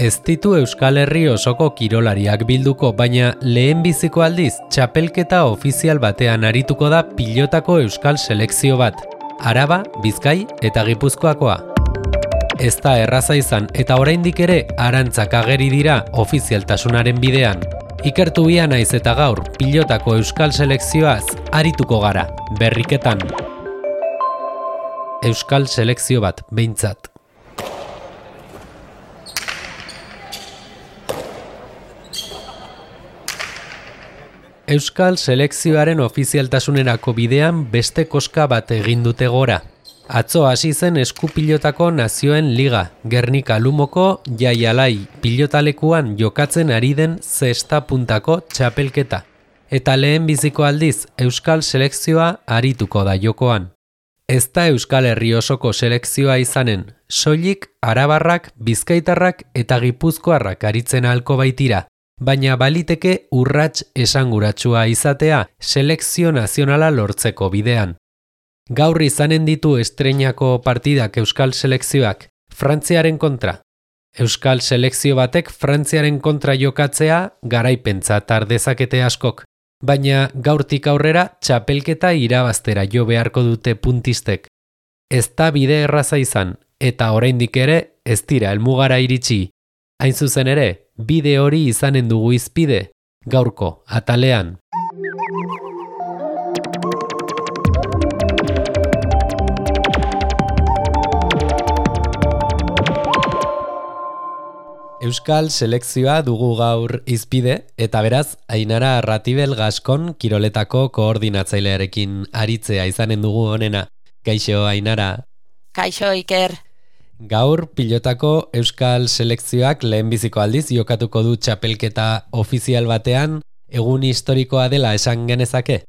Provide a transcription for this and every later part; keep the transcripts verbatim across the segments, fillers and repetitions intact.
Ez ditu Euskal Herri osoko kirolariak bilduko, baina lehenbiziko aldiz txapelketa ofizial batean arituko da pilotako euskal selekzio bat, Araba, Bizkai eta Gipuzkoakoa. Ez da erraza izan eta oraindik ere arantzak ageri dira ofizialtasunaren bidean. Ikertu bia naiz eta gaur pilotako euskal selekzioaz arituko gara, berriketan. Euskal selekzio bat, behintzat. Euskal selekzioaren ofizialtasunerako bidean beste koska bat egin dute gora. Atzo hasi zen eskupilotako nazioen liga, Gernika Lumoko Jaialai pilotalekuan jokatzen ari den zesta puntako txapelketa. Eta lehenbiziko aldiz Euskal selekzioa arituko da jokoan. Ez da Euskal Herri osoko selekzioa izanen, soilik arabarrak, bizkaitarrak eta gipuzkoarrak aritzen ahalko baitira. Baina baliteke urrats esanguratsua izatea selekzio nazionala lortzeko bidean. Gaur izanen ditu estreinako partidak Euskal selekzioak, Frantziaren kontra. Euskal selekzio batek Frantziaren kontra jokatzea garaipentzat har dezakete askok, baina gaurtik aurrera txapelketa irabaztera jo beharko dute puntistek. Ez da bide erraza izan, eta oraindik ere ez dira helmugara iritsi. Hain zuzen ere, bide hori izanen dugu izpide, gaurko atalean. Euskal selekzioa dugu gaur izpide, eta beraz, Ainara Ratibel Gaskon kiroletako koordinatzailearekin aritzea izanen dugu honena. Kaixo, Ainara. Kaixo, Iker. Gaur pilotako Euskal selekzioak lehenbiziko aldiz jokatuko du txapelketa ofizial batean, egun historikoa dela esan genezake?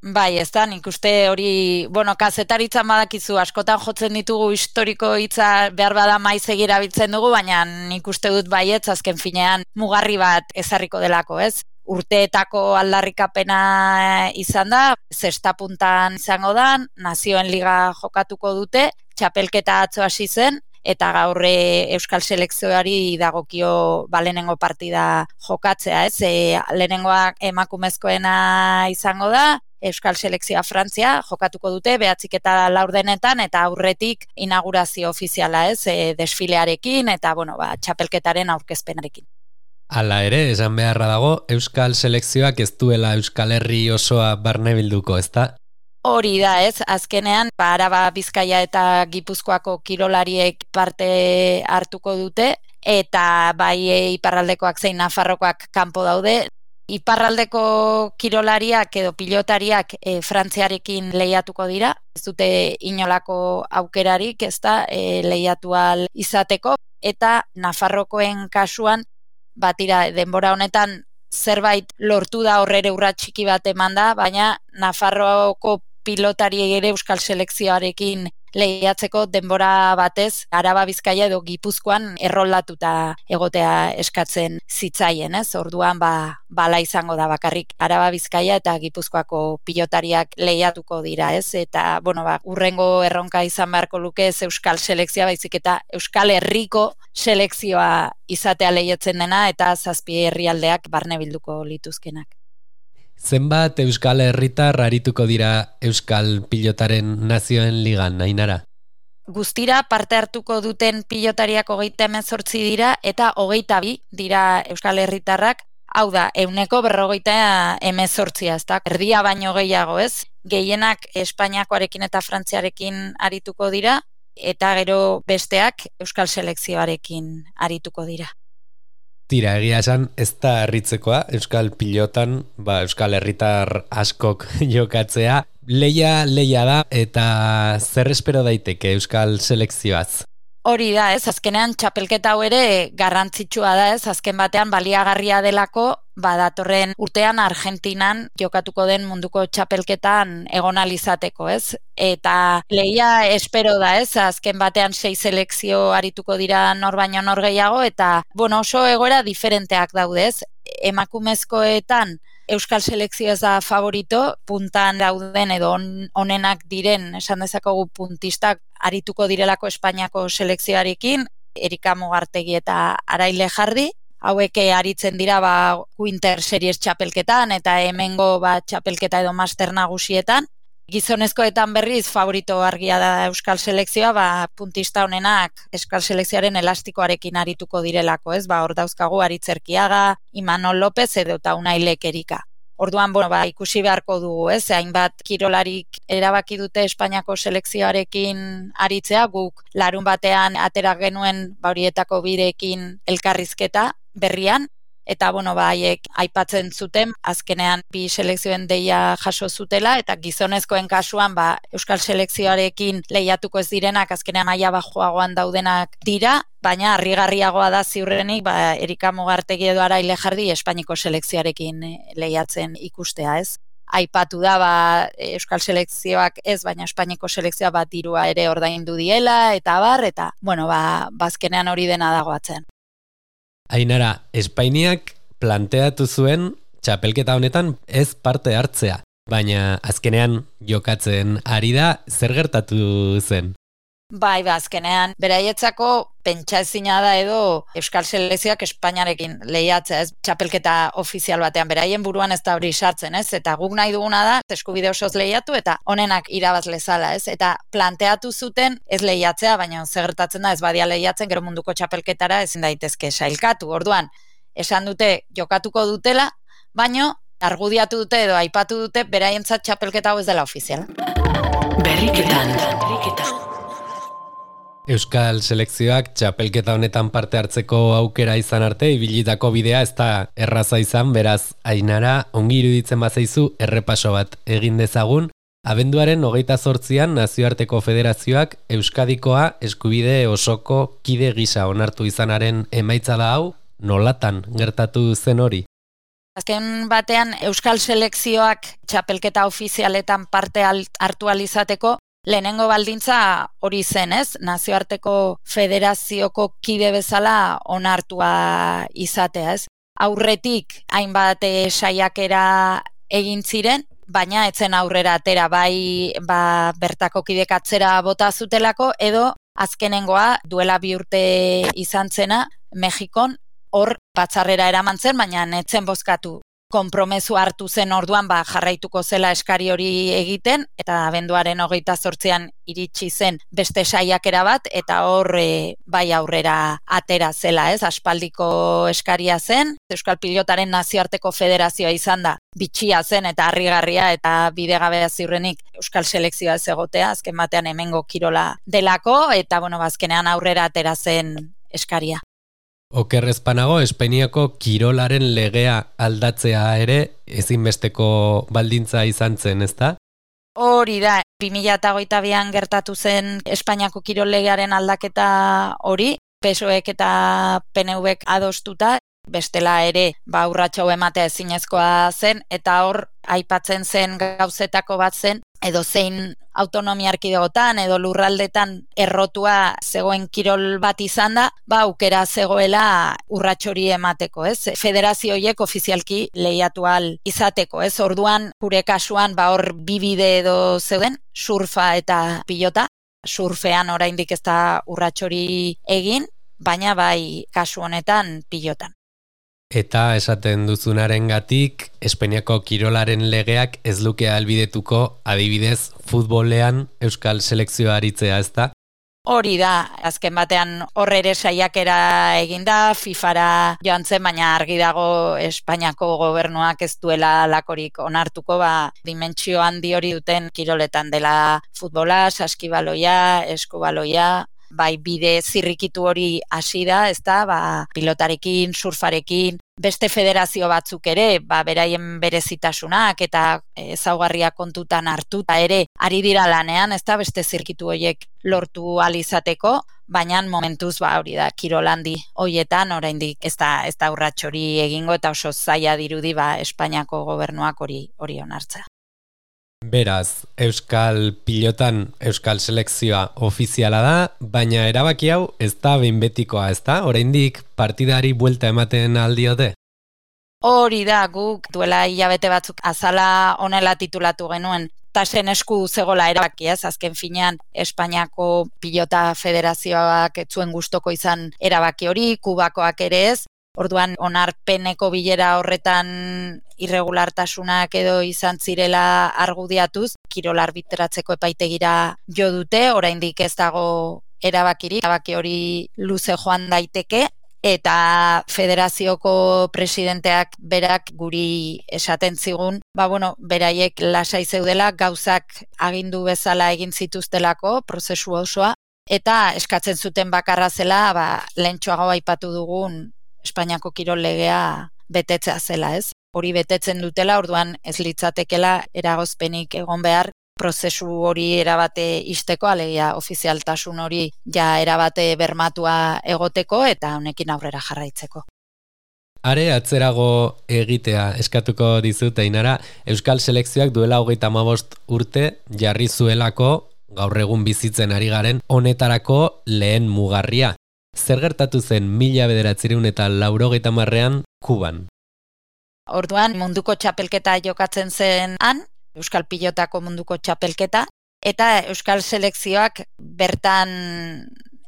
Bai, ez da, nik uste hori, bueno, kazetaritzan badakizu, askotan jotzen ditugu historiko hitza behar bada maiz egirabiltzen dugu, baina nik uste dut baietz azken finean mugarri bat ezarriko delako, ez? Urteetako aldarrikapena izan da, zesta puntan izango da, nazioen liga jokatuko dute, txapelketa atzo hasi zen, eta gaur Euskal selekzioari dagokio ba, lehenengo partida jokatzea, ez? E, lehenengoak emakumezkoena izango da, Euskal selekzioa Frantzia jokatuko dute, behatzik eta laurdenetan, eta aurretik inaugurazio ofiziala, ez? E, desfilearekin, eta bueno, ba, txapelketaren aurkezpenarekin. Hala ere, esan beharra dago, Euskal selekzioak ez duela Euskal Herri osoa barne bilduko, ezta? Hori da, ez, azkenean, ba, Araba, Bizkaia eta Gipuzkoako kirolariek parte hartuko dute, eta bai iparraldekoak zein Nafarrokoak kanpo daude. Iparraldeko kirolariak edo pilotariak e, Frantziarekin lehiatuko dira, ez dute inolako aukerarik, ez da, e, lehiatu ahal izateko, eta Nafarrokoen kasuan, batira denbora honetan zerbait lortu da horrere urrat txiki bat eman da, baina Nafarroako pilotari ere Euskal selekzioarekin lehiatzeko denbora batez Araba, Bizkaia edo Gipuzkoan erroldatuta egotea eskatzen zitzaien, ez? Orduan ba bala izango da bakarrik Araba, Bizkaia eta Gipuzkoako pilotariak lehiatuko dira, ez? Eta bueno, ba hurrengo erronka izan beharko luke ez Euskal selekzioa, baizik eta Euskal Herriko selekzioa izatea lehiatzen dena eta zazpi herrialdeak barne bilduko lituzkenak. Zenbat Euskal Herritar arituko dira Euskal pilotaren nazioen ligan, Ainara? Guztira parte hartuko duten pilotariak hogeita hemezortzi dira eta hogeita bi dira Euskal Herritarrak, hau da, ehuneko berrogeita hemezortzia, ez da, erdia baino gehiago, ez? Gehienak Espainiakoarekin eta Frantziarekin arituko dira, eta gero besteak Euskal selekzioarekin arituko dira. Tira, egia esan, ez da harritzekoa, Euskal pilotan, ba, Euskal Herritar askok jokatzea. Leia, leia da, eta zer espero daiteke Euskal selekzioaz? Hori da, ez, azkenean txapelketa hau ere garrantzitsua da, ez, azken batean baliagarria delako, badatorren urtean Argentinan jokatuko den munduko txapelketan egon ahal izateko, ez? Eta lehia espero da, ez? Azken batean sei selekzio arituko dira nor baino nor gehiago, eta bueno, oso egoera diferenteak daude, ez? Emakumezkoetan Euskal selekzio ez da favorito, puntan dauden edo onenak diren, esan dezakogu puntistak arituko direlako Espainiako selekzioarekin, Erika Mugartegi eta Araile Jardi. Hauek aritzen dira ba, Winter Series txapelketan eta hemengo ba, txapelketa edo master nagusietan. Gizonezkoetan berriz favorito argia da Euskal Selekzioa, ba, puntista honenak Euskal Selekzioaren elastikoarekin arituko direlako, ez? Ba, hor dauzkagu Aritzerkiaga, Imanol López edo eta Unai Lekerika. Orduan, bueno, ba, ikusi beharko dugu, ez? Hainbat kirolarik erabaki dute Espainiako selekzioarekin aritzea, guk larun batean atera genuen ba, horietako birekin elkarrizketa berrian, eta bueno, ba, haiek aipatzen zuten, azkenean bi selekzioen deia jaso zutela, eta gizonezkoen kasuan ba, Euskal Selekzioarekin lehiatuko ez direnak, azkenean maila bajoagoan daudenak dira, baina harrigarriagoa da ziurrenik ba, Erika Mugartegi edo Araile Jardi Espainiko selekzioarekin lehiatzen ikustea, ez? Aipatu da ba, Euskal Selekzioak ez, baina Espainiko selekzioa bat dirua ere ordaindu diela, eta bar, eta bueno, ba, bazkenean hori dena dagoatzen. Ainara, Espainiak planteatu zuen txapelketa honetan ez parte hartzea, baina azkenean jokatzen ari da, zer gertatu zen? Bai, ba, azkenean, beraietzako pentsa ezina da edo Euskal Selekzioak Espainiarekin lehiatzea, ez txapelketa ofizial batean, beraien buruan ez da hori sartzen, ez? Eta guk nahi duguna da, eskubide osoz lehiatu eta honenak irabaz lezala, ez? Eta planteatu zuten ez lehiatzea, baina zer gertatzen da ez badia lehiatzen, gero munduko txapelketara ezin daitezke sailkatu. Orduan, esan dute jokatuko dutela, baina argudiatu dute edo aipatu dute beraientzat txapelketa hau ez dela ofiziala. Berriketan, berriketan. Euskal Selekzioak txapelketa honetan parte hartzeko aukera izan arte, ibilitako bidea ez da erraza izan, beraz, Ainara, ongi iruditzen bazaizu errepaso bat egin dezagun. Abenduaren hogeita zortzian Nazioarteko Federazioak Euskadikoa eskubide osoko kide gisa onartu izanaren emaitza da hau, nolatan gertatu zen hori? Azken batean, Euskal Selekzioak txapelketa ofizialetan parte hartu alizateko, lehenengo baldintza hori zen, ez? Nazioarteko Federazioko kide bezala onartua izatea, ez? Aurretik hainbat saiakera egin ziren, baina etzen aurrera atera bai ba, bertako kidek atzera bota zutelako, edo azkenengoa duela bi urte izan zena Mexikon, hor batzarrera eraman zen, baina netzen bozkatu. Konpromezu hartu zen orduan ba, jarraituko zela eskari hori egiten, eta abenduaren hogeita zortzian iritsi zen beste saiakera bat, eta hor e, bai aurrera atera zela, ez? Aspaldiko eskaria zen, Euskal Pilotaren Nazioarteko Federazioa izan da, bitxia zen eta harrigarria eta bidegabea ziurrenik Euskal Selekzioa ez egotea, azken batean hemengo kirola delako, eta bueno, azkenean aurrera atera zen eskaria. Okerrezpanago, Espainiako kirolaren legea aldatzea ere ezinbesteko baldintza izan zen, ezta? Hori da, bi mila hogeita bian gertatu zen Espainiako kirol legearen aldaketa hori, P S O Ek eta P N Vek adostuta, bestela ere ba urratxo ematea ezinezkoa zen, eta hor aipatzen zen gauzetako bat zen, edo zein autonomia erkidegotan edo lurraldetan errotua zegoen kirol bat izan da, ba aukera zegoela urratxori emateko, ez? Federazio horiek ofizialki lehiatu ahal izateko, ez? Orduan, gure kasuan, ba hor bi bide edo zeuden, surfa eta pilota. Surfean oraindik ez da urratxori egin, baina bai kasu honetan pilotan. Eta esaten duzunarengatik, Espainiako kirolaren legeak ez luke ahalbidetuko adibidez futbolean Euskal Selekzioa aritzea, ezta? Hori da, azken batean horre ere saiakera eginda, FIFAra joan zen, baina argi dago Espainiako gobernuak ez duela lakorik onartuko, ba, dimentsio handi hori duten kiroletan dela futbola, saskibaloia, eskubaloia, bai bide zirrikitu hori hasi da, ezta, ba, pilotarekin, surfarekin, beste federazio batzuk ere, ba, beraien berezitasunak eta ezaugarriak kontutan hartuta ere ari dira lanean, ezta, beste zirkitu horiek lortu ahal izateko, baina momentuz ba hori da kirolandi hoietan oraindik ez da ez da urrats hori egingo eta oso zaila dirudi ba Espainiako gobernuak hori hori onartzea. Beraz, Euskal Pilotan Euskal Selekzioa ofiziala da, baina erabaki hau ez da behin betikoa, ez da? Oraindik partidari buelta ematen aldiote? Hori da, guk duela hilabete batzuk azala honela titulatu genuen, tasen esku zegola erabaki, ez? Azken finean, Espainiako Pilota Federazioak ez zuen gustoko izan erabaki hori, Kubakoak ere ez. Orduan, onarpeneko bilera horretan irregulartasunak edo izan zirela argudiatuz, kirol arbitratzeko epaitegira jo dute, oraindik ez dago erabakirik, erabaki hori luze joan daiteke, eta federazioko presidenteak berak guri esaten zigun, ba bueno, beraiek lasai zeudela, gauzak agindu bezala egin zituztelako, prozesu osoa, eta eskatzen zuten bakarra zela, ba, lehentxoago aipatu dugun Espainiako kirol legea betetzea zela, ez? Hori betetzen dutela, orduan ez litzatekela eragozpenik egon behar, prozesu hori erabate isteko, alegia ofizialtasun hori ja erabate bermatua egoteko eta honekin aurrera jarraitzeko. Are atzerago egitea eskatuko dizut, Ainara, Euskal Selekzioak duela hogeita hamabost urte jarri zuelako gaur egun bizitzen ari garen honetarako lehen mugarria. Zer gertatu zen mila bederatziehun eta laurogeita hamarrean Kuban? Orduan munduko txapelketa jokatzen zen han, Euskal Pilotako munduko txapelketa, eta Euskal Selekzioak bertan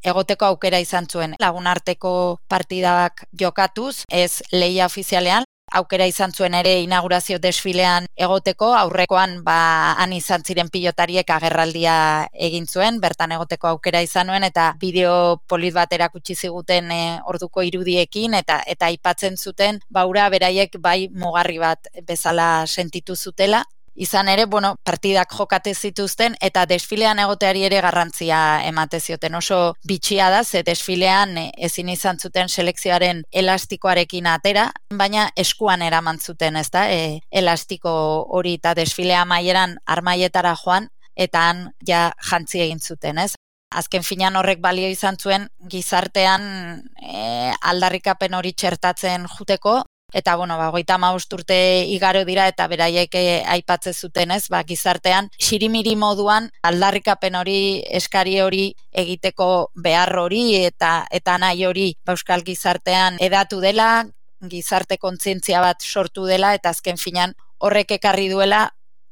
egoteko aukera izan zuen. Lagunarteko partidak jokatuz, ez lehia ofizialean, aukera izan zuen ere inaugurazio desfilean egoteko, aurrekoan ba han izan ziren pilotariek agerraldia egin zuen, bertan egoteko aukera izan nuen, eta bideo polit bat erakutsi ziguten e, orduko irudiekin, eta eta aipatzen zuten, baura beraiek bai mugarri bat bezala sentitu zutela. Izan ere, bueno, partidak jokate zituzten eta desfilean egoteari ere garrantzia emate zioten. Oso bitxia da, ze desfilean ezin izan zuten selekzioaren elastikoarekin atera, baina eskuan eraman zuten, ezta? E, elastiko hori eta desfilea amaieran armaietara joan eta han ja jantzi egin zuten, ez? Azken finean horrek balio izan zuen gizartean e, aldarrikapen hori txertatzen juteko. Eta, bueno, ba, hogeita hamabost urte igaro dira eta beraiek aipatze zuten, ez, ba, gizartean, xirimiri moduan aldarrikapen hori, eskari hori egiteko behar hori eta eta nahi hori ba, euskal gizartean edatu dela, gizarte kontzientzia bat sortu dela, eta azken finean horrek ekarri duela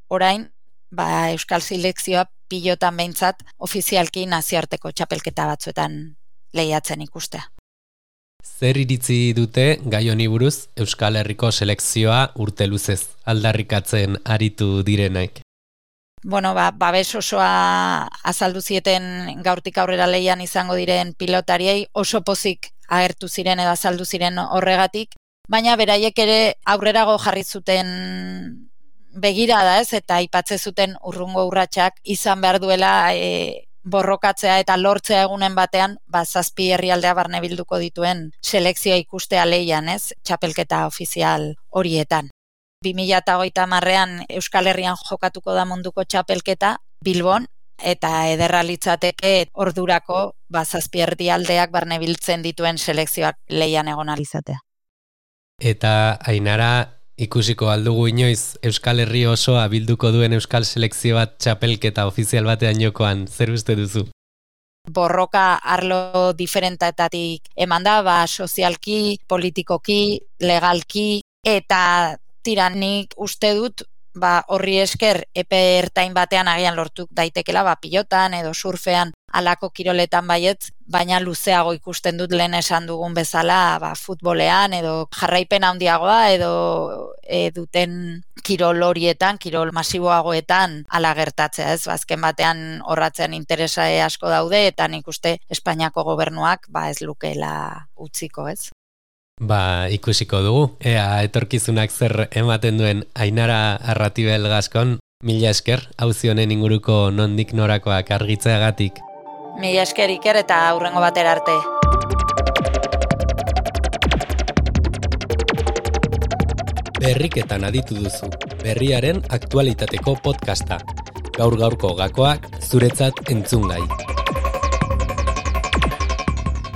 orain ba, Euskal Selekzioa pilotan behintzat ofizialki nazioarteko txapelketa batzuetan lehiatzen ikustea. Zer iritzi dute gai honi buruz Euskal Herriko selekzioa urte luzez aldarrikatzen aritu direnak? Bueno, ba, babes osoa azaldu zieten gaurtik aurrera lehian izango diren pilotariei, oso pozik agertu ziren edo azaldu ziren horregatik, baina beraiek ere aurrerago jarri zuten begirada, ez, eta aipatze zuten urrungo urratsak izan behar duela e, borrokatzea eta lortzea egunen batean, ba, zazpi herrialdea barne bilduko dituen selekzioa ikustea lehian, ez, txapelketa ofizial horietan. bi mila hogeita hamarrean Euskal Herrian jokatuko da munduko txapelketa Bilbon, eta ederra litzateke ordurako ba, zazpi herrialdeak barne biltzen dituen selekzioak lehian egon alizatea. Eta Ainara, ikusiko aldugu inoiz Euskal Herri osoa bilduko duen Euskal Selekzio bat txapelketa ofizial batean jokoan, zer uste duzu? Borroka arlo diferentetatik eman da, ba, sozialki, politikoki, legalki, eta tiranik uste dut, ba, horri esker epe ertain batean agian lortu daitekela, ba, pilotan edo surfean alako kiroletan baietz, baina luzeago ikusten dut lehen esan dugun bezala, ba, futbolean edo jarraipen handiagoa edo e, duten kirol horietan, kirol masiboagoetan ala gertatzea, ez? Azken batean horratzen interesa asko daude eta nik uste Espainiako gobernuak ba ez lukeela utziko, ez? Ba, ikusiko dugu. Ea etorkizunak zer ematen duen Ainara Arratibel Gaskon, mila esker, auzi honen inguruko nondik norakoak argitzeagatik. Mila esker Iker eta aurrengo batera arte. Berriketan aditu duzu, berriaren aktualitateko podcasta. Gaur gaurko gakoak zuretzat entzungai.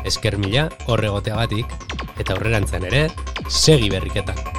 Esker mila horregoteagatik, eta aurrerantzen ere, segi berriketan.